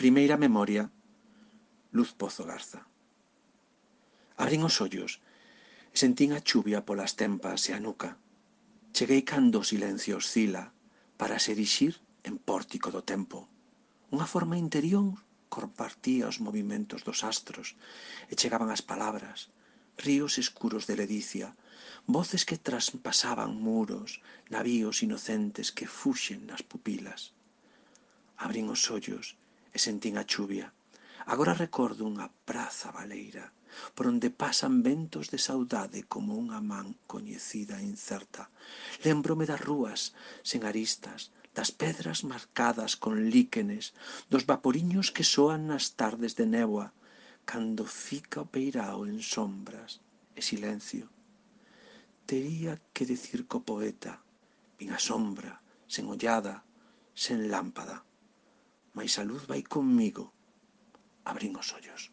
Primeira memoria, Luz Pozo Garza. Abrín os ollos e sentín a chuvia polas tempas e a nuca. Cheguei cando o silencio oscila para se erixir en pórtico do tempo. Unha forma interior compartía os movimentos dos astros e chegaban as palabras, ríos escuros de ledicia, voces que traspasaban muros, navíos inocentes que fuxen nas pupilas. Abrín os ollos e sentín a chuvia. Agora recordo unha praza baleira, por onde pasan ventos de saudade como unha man coñecida e incerta. Lémbrome das rúas sen aristas, das pedras marcadas con líquenes, dos vaporiños que soan nas tardes de néboa, cando fica o peirao en sombras e silencio. Tería que dicir co poeta, vin a sombra, sen ollada, sen lámpada, mais a luz vai conmigo. Abrín os ollos.